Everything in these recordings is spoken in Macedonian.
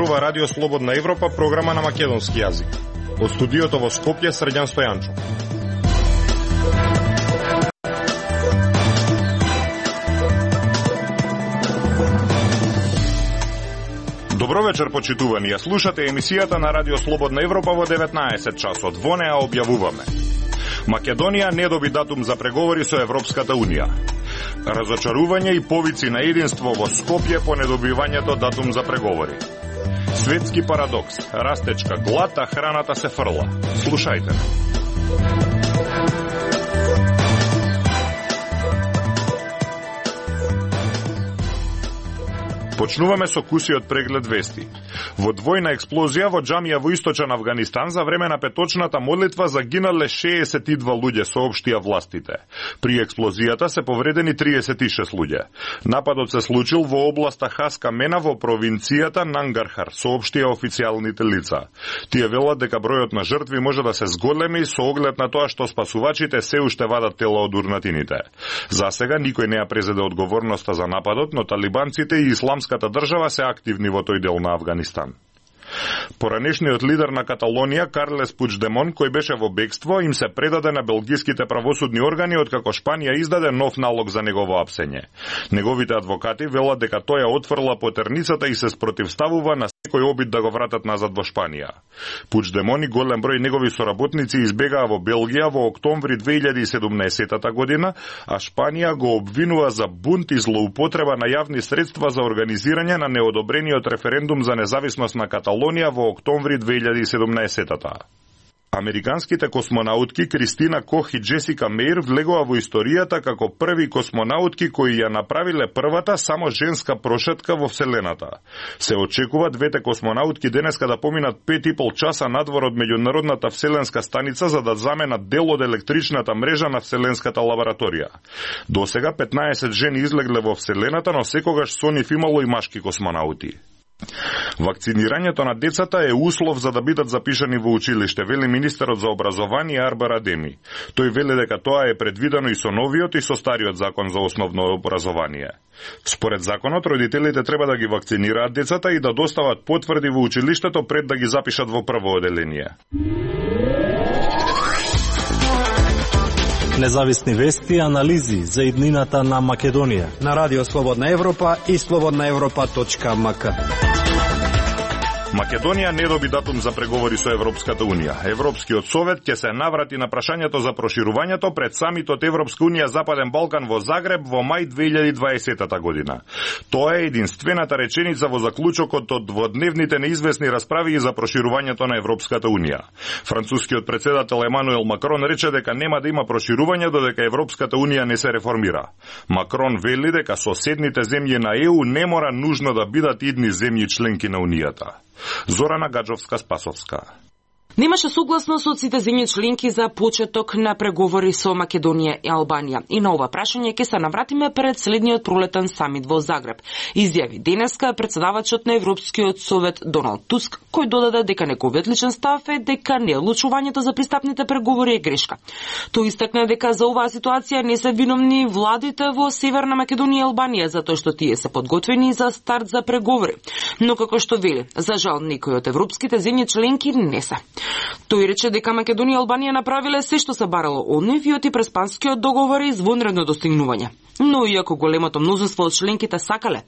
зборува Радио Слободна Европа, програма на македонски јазик. Од студиото во Скопје, Срđan Стојанчов. Добро вечер, почитувани. Ја слушате емисијата на Радио Слободна Европа во 19 часот. Во неа објавуваме: Македонија не доби датум за преговори со Европската Унија. Разочарување и повици на единство во Скопје по недобивањето датум за преговори. Светски парадокс. Растечка глад, а храната се фрла. Слушајте. Почнуваме со кусиот преглед вести. Во двојна експлозија во џамија во источен Авганистан за време на петочната молитва загинале 62 луѓе, соопштија властите. При експлозијата се повредени 36 луѓе. Нападот се случил во областа Хаска Мена во провинцијата Нангархар, соопштија официјалните лица. Тие велат дека бројот на жртви може да се зголеми со оглед на тоа што спасувачите се уште вадат тела од урнатините. За сега никој не ја презеде одговорноста за нападот, но талибанците и исламската држава се активни во тој дел на Авганистан. Поранешниот лидер на Каталонија, Карлес Пучдемон, кој беше во бегство, им се предаде на белгиските правосудни органи откако Шпанија издаде нов налог за негово апсење. Неговите адвокати велат дека тој ја отфрла потерницата и се спротивставува на секој обид да го вратат назад во Шпанија. Пучдемон и голем број негови соработници избегаа во Белгија во октомври 2017 година, а Шпанија го обвинува за бунт и злоупотреба на јавни средства за организирање на неодобрениот референдум за независност на Каталонија во октомври 2017-та. Американските космонаутки Кристина Кох и Джесика Меир влегува во историјата како први космонаутки кои ја направиле првата само женска прошетка во Вселената. Се очекува двете космонаутки денеска да поминат 5,5 часа надвор од меѓународната вселенска станица за да заменат дел од електричната мрежа на вселенската лабораторија. Досега 15 жени излегле во Вселената, но секогаш со нив имало и машки космонаути. Вакцинирањето на децата е услов за да бидат запишани во училиште, вели министерот за образование Арбар Адеми. Тој вели дека тоа е предвидено и со новиот и со стариот закон за основно образование. Според законот, родителите треба да ги вакцинираат децата и да достават потврди во училиштето пред да ги запишат во прво оделение. Независни вести и анализи за иднината на Македонија на Радио Слободна Европа и slobodnaevropa.mk. Македонија не доби датум за преговори со Европската Унија. Европскиот совет ќе се наврати на прашањето за проширувањето пред самитот Европска Унија Западен Балкан во Загреб во мај 2020 година. Тоа е единствената реченица во заклучокот од дводневните неизвестни расправи за проширувањето на Европската Унија. Францускиот претседател Емануел Макрон рече дека нема да има проширување додека Европската Унија не се реформира. Макрон вели дека соседните земји на ЕУ не мора нужно да бидат идни земји членки на Унијата. Зорана Гаджовска-Спасовска. Немаше согласност од сите земји членки за почеток на преговори со Македонија и Албанија. И на ова прашање ќе се навратиме пред следниот пролетен самит во Загреб. Изјави денеска председавачот на Европскиот совет Доналд Туск, кој додаде дека неговиот личен став е дека неодлучувањето за пристапните преговори е грешка. Тој истакна дека за оваа ситуација не се виновни владите во Северна Македонија и Албанија, затоа што тие се подготвени за старт за преговори. Но како што вели, за жал некои од европските земји членки не се. Тој рече дека Македонија и Албанија направиле се што се барало од нив и оти Преспанскиот договор е извонредно достигнување. Но иако големото мнозинство од членките сакале,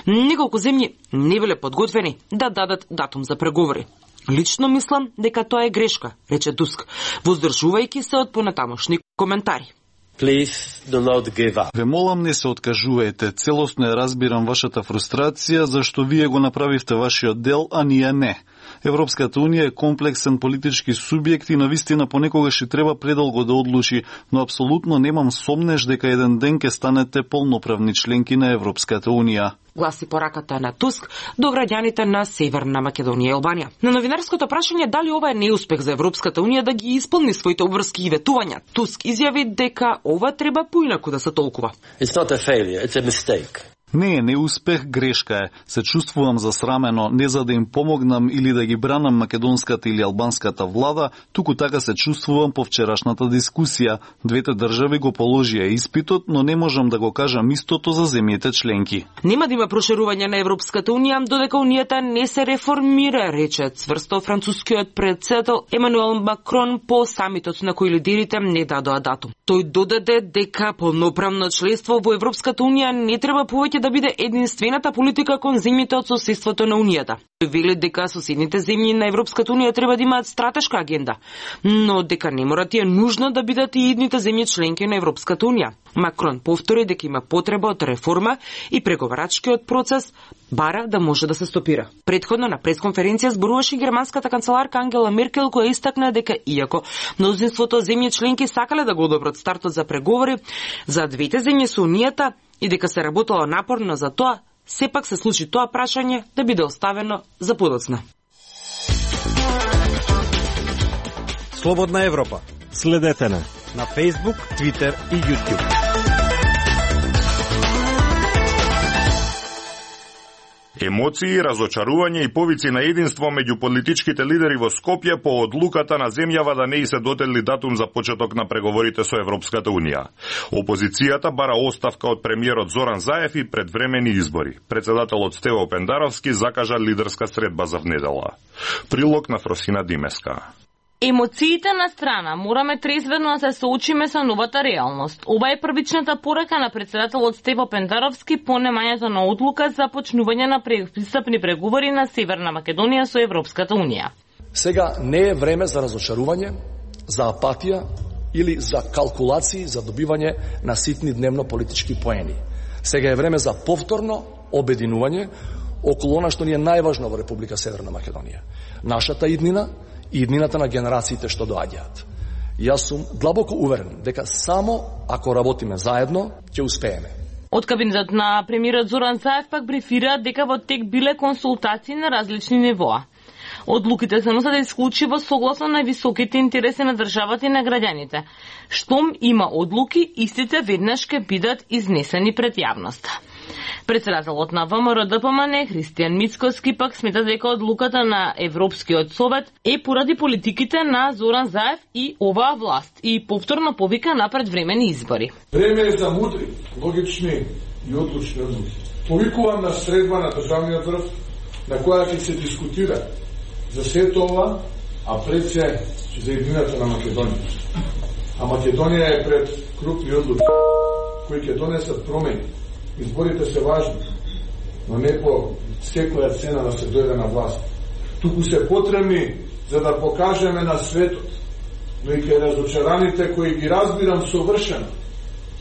неколку земји не биле подготвени да дадат датум за преговори. Лично мислам дека тоа е грешка, рече Туск, воздржувајќи се од понатамошни коментари. Ве молам, не се откажувајте. Целосно ја разбирам вашата фрустрација, зашто вие го направивте вашиот дел, а ние не. Европската Унија е комплексен политички субјект и навистина понекогаш и треба предолго да одлучи, но апсолутно немам сомнеш дека еден ден ќе станете полноправни членки на Европската Унија. Гласи пораката на Туск до граѓаните на Северна Македонија и Албанија. На новинарското прашање дали ова е неуспех за Европската Унија да ги исполни своите обврски и ветувања, Туск изјави дека ова треба поинаку да се толкува. Не е неуспех, грешка е. Се чувствувам засрамено, не за да им помогнам или да ги бранам македонската или албанската влада, туку така се чувствувам по вчерашната дискусија. Двете држави го положија испитот, но не можам да го кажам истото за земјите членки. Нема да има проширување на Европската унија додека унијата не се реформира, рече цврсто францускиот председател Емануел Макрон по самитот на кој лидерите не дадоа датум. Тој додаде дека полноправно членство во Европската унија не треба повеќе да биде единствената политика кон земјите од соседството на унијата. Тој вели дека соседните земји на Европската унија треба да имаат стратешка агенда, но дека не мора тие нужно да бидат и идните земји членки на Европската унија. Макрон повтори дека има потреба од реформа и преговарачкиот процес бара да може да се стопира. Претходно на пресконференција зборуваше германската канцеларка Ангела Меркел, која истакна дека иако мнозинството земји членки сакале да го одобрат стартот за преговори за двете земји со унијата и дека се работело напорно за тоа, сепак се случи тоа прашање да биде оставено за подоцна. Слободна Европа. Следете на Facebook, Twitter и YouTube. Емоции, разочарување и повици на единство меѓу политичките лидери во Скопје по одлуката на земјава да не и се дотели датум за почеток на преговорите со Европската унија. Опозицијата бара оставка од премиерот Зоран Заев и предвремени избори. Председателот Стево Пендаровски закажа лидерска средба за внедела. Прилог на Фросина Димеска. Емоциите на страна, мораме трезвено да се соочиме со новата реалност. Ова е првичната порака на председателот Стево Пендаровски по немањето на одлука за почнување на пристапни преговори на Северна Македонија со Европската унија. Сега не е време за разочарување, за апатија или за калкулации за добивање на ситни дневно политички поени. Сега е време за повторно обединување околу она што ни е најважно во Република Северна Македонија. Нашата иднина и иднината на генерациите што доаѓаат. Јас сум длабоко уверен дека само ако работиме заедно, ќе успееме. Од кабинетот на премиерот Зоран Заев пак брифира дека во тек биле консултации на различни нивоа. Одлуките се носат исклучиво согласно на високите интереси на државата и на граѓаните. Штом има одлуки, истите веднаш ќе бидат изнесени пред јавноста. Председателот на ВМРО-ДПМН Христијан Мицкоски пак смета дека одлуката на Европскиот совет е поради политиките на Зоран Заев и оваа власт и повторно повика на предвремени избори. Време е за мудри, логични и одлучни одлуки. Повикувам на средба на државниот врв на која ќе се дискутира за сето ова, а пред се за едината на Македонија. А Македонија е пред крупни одлуки кои ќе донесат промени. Изборите се важни, но не по секоја цена да се дојде на власт. Туку се потребни за да покажеме на светот, но и кај разочараните кои ги разбирам совршено,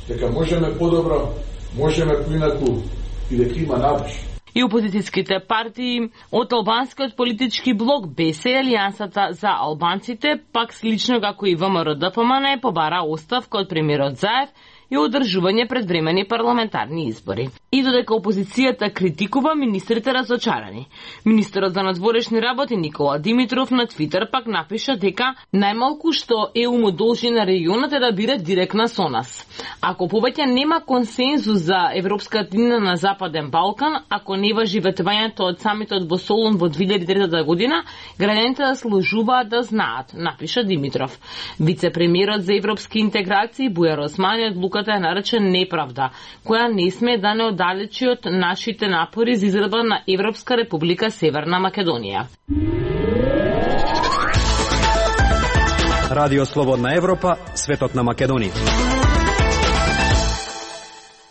дека можеме подобро, можеме поинаку и дека има надеж. И опозицијските партии од албанскиот политички блок БЕС и Алијансата за албанците, пак слично како и ВМРО-ДПМН, побара оставка од премиерот Заев и одржување предвремени парламентарни избори. И додека опозицијата критикува, министрите разочарани. Министерот за надворешни работи Никола Димитров на Твитер пак напиша дека најмалку што ЕУ му должи на регионот е да биде директна со нас. Ако повеќе нема консензус за Европската иднина на Западен Балкан, ако не важи ветувањето од самитот во Солун во 2003 година, граѓаните заслужуваат да знаат, напиша Димитров. Вице-премиерот за европски интеграции Бујар Османи одлуката е наречен неправда, која не сме да не оддалечи од нашите напори за изградба на Европска република Северна Македонија. Радио Слободна Европа, светот на Македонија.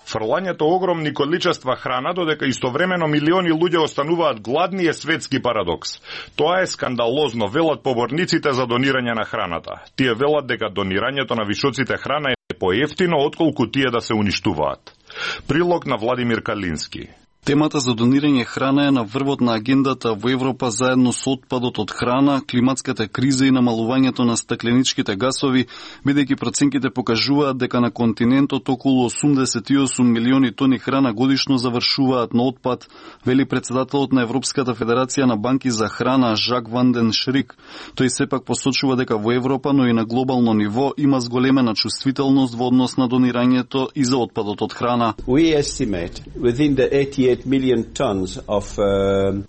Фрлањето огромни количества храна додека истовремено милиони луѓе остануваат гладни е светски парадокс. Тоа е скандалозно, велат поборниците за донирање на храната. Тие велат дека донирањето на вишоците храна е поевтино отколку тие да се уништуваат. Прилог на Владимир Калински. Темата за донирање храна е на врвот на агендата во Европа заедно со отпадот од храна, климатската криза и намалувањето на стакленичките гасови, бидејќи проценките покажуваат дека на континентот околу 88 милиони тони храна годишно завршуваат на отпад, вели председателот на Европската федерација на банки за храна Жак Ван ден Шрик. Тој сепак посочува дека во Европа, но и на глобално ниво има зголемена чувствителност во однос на донирањето и за отпадот од храна. We estimate within the 88 million tons of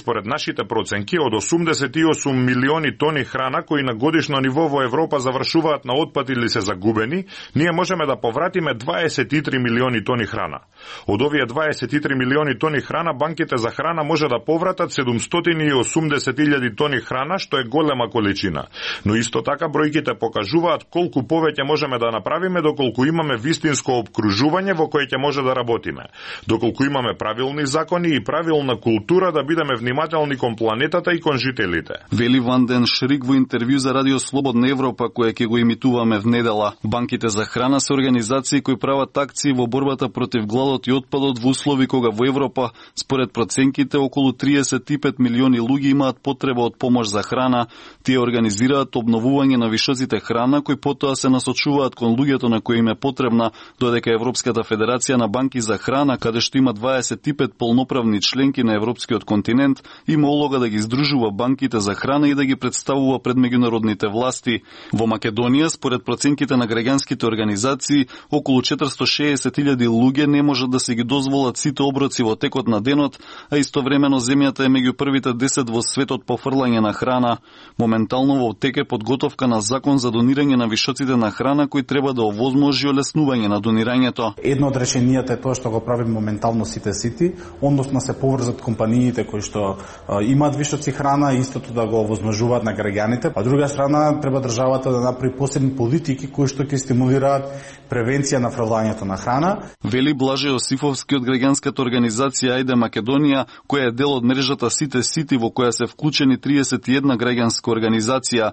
Според нашите проценки, од 88 милиони тони храна кои на годишно ниво во Европа завршуваат на отпад или се загубени, ние можеме да повратиме 23 милиони тони храна. Од овие 23 милиони тони храна, банките за храна може да повратат 780.000 тони храна, што е голема количина. Но исто така бројките покажуваат колку повеќе можеме да направиме доколку имаме вистинско опкружување во кое ќе може да работиме. Доколку имаме правилни закони и правилна култура да бидеме внимателни кон планетата и кон жителите. Вели Ван ден Шрик во интервју за Радио Слободна Европа, кое ќе го имитуваме в недела. Банките за храна се организации кои прават акции во борбата против гладот и отпадот во услови кога во Европа, според проценките, околу 35 милиони луѓе имаат потреба од помош за храна. Тие организираат обновување на вишоците храна, кои потоа се насочуваат кон луѓето на кои им е потребна, додека Европската федерација на банки за храна, каде што има 25 полноправни членки на европскиот континент, има улога да ги здружува банките за храна и да ги представува пред меѓународните власти. Во Македонија, според проценките на граѓанските организации, околу 460.000 луѓе не можат да се ги дозволат сите оброци во текот на денот, а истовремено земјата е меѓу првите 10 во светот по фрлање на храна. Моментално во тек е подготовка на закон за донирање на вишоците на храна кој треба да овозможи олеснување на донирањето. Едно од решенијата е тоа што го прави моментално сите сити, односно се поврзат компаниите кои што имаат вишоци храна и истото да го овозможуваат на граѓаните, а друга страна треба државата да направи посебни политики кои што ќе стимулираат превенција на фрлањето на храна. Вели Блаже Јосифовски од граѓанската организација Ајде Македонија, која е дел од мрежата Сите Сити во која се вклучени 31 граѓанска организација.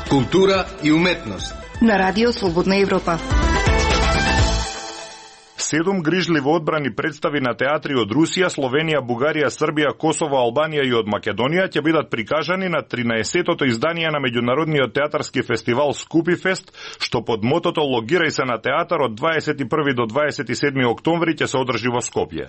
Култура и уметност на Радио Слободна Европа. 7 грижливо одбрани представи на театри од Русија, Словенија, Бугарија, Србија, Косово, Албанија и од Македонија ќе бидат прикажани на 13-тото издание на меѓународниот театарски фестивал Скупифест, што под мотото "Логирај се на театар" од 21 до 27 октомври ќе се одржи во Скопје.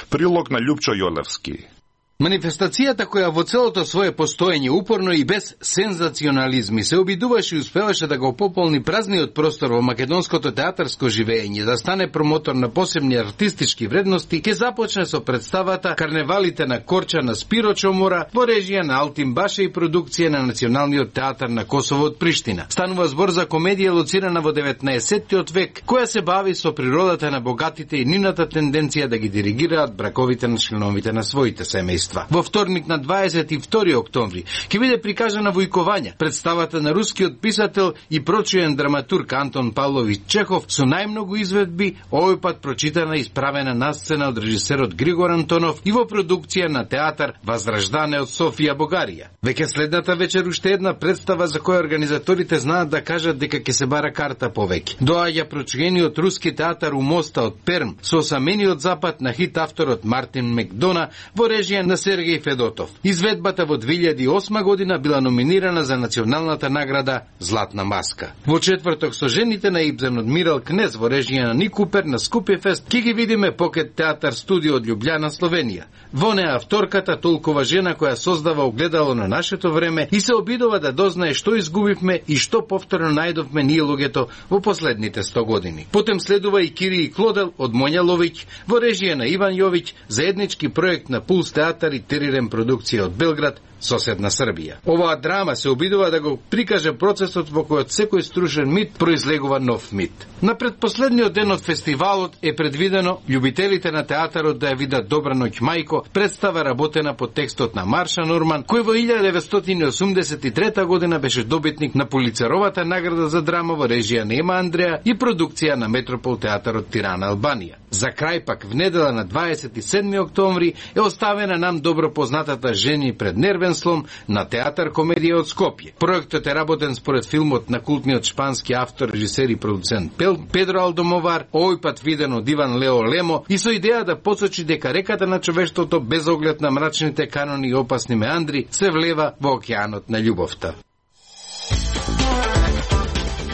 Прилог на Љупчо Јолевски. Манифестацијата која во целото свое постоење упорно и без сензационализми се обидуваше и успеваше да го пополни празниот простор во македонското театарско живење, да стане промотор на посебни артистички вредности, ќе започне со представата Карневалите на Корча на Спиро Чомора во режија на Алтин Баше и продукција на Националниот театар на Косово од Приштина. Станува збор за комедија лоцирана во 19-тиот век, која се бави со природата на богатите и нивната тенденција да ги диригираат браковите на членовите на своите семејства. Во вторник на 22 октомври ќе биде прикажана Војкованја, представата на рускиот писател и прочуен драматург Антон Павлович Чехов со најмногу изведби, овој пат прочитана и исправена на сцена од режисерот Григор Антонов и во продукција на театар Возрождане од Софија, Бугарија. Веќе следната вечер уште една представа за која организаторите знаат да кажат дека ќе се бара карта повеќе. Доаѓа прочуениот руски театар У моста од Перм со осамениот запад на хит авторот Мартин Мекдона во режија на Сергеј Федотов. Изведбата во 2008 година била номинирана за националната награда Златна маска. Во четврток со жените на Ибзен Адмирал Кнез во режија на Ник Купер на Скупјефест ќе ги видиме Покет театар студио од Љубљана, Словенија. Во неа авторката толкова жена која создава огледало на нашето време и се обидува да дознае што изгубивме и што повторно најдовме ние луѓето во последните 100 години. Потем следува и Кири и Клодел од Моња Ловиќ во режија на Иван Јовиќ, заеднички проект на Пулс театар и Терирен продукција од Белград, соседна Србија. Оваа драма се обидува да го прикаже процесот во којот секој струшен мит произлегува нов мит. На предпоследниот ден од фестивалот е предвидено љубителите на театарот да ја видат Добра ноќ мајко, представа работена по текстот на Марша Норман, кој во 1983 година беше добитник на Пулицеровата награда за драма во режија на Ема Андреа и продукција на Метропол театарот Тирана, Албанија. За крај пак в недела на 27 октомври е оставена нам добро познатата Жени пред нервен Креативен слом на театар комедија од Скопје. Проектот е работен според филмот на култниот шпански автор, режисер и продуцент Педро Алдомовар, овој пат виден од Иван Лео Лемо, и со идеја да посочи дека реката на човештвото, без оглед на мрачните канони и опасни меандри, се влева во океанот на љубовта.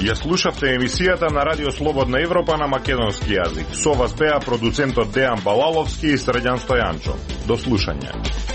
Ја слушавте емисијата на Радио Слободна Европа на македонски јазик. Со вас беа продуцентот Дејан Балаловски и Средјан Стојанчо. До слушање.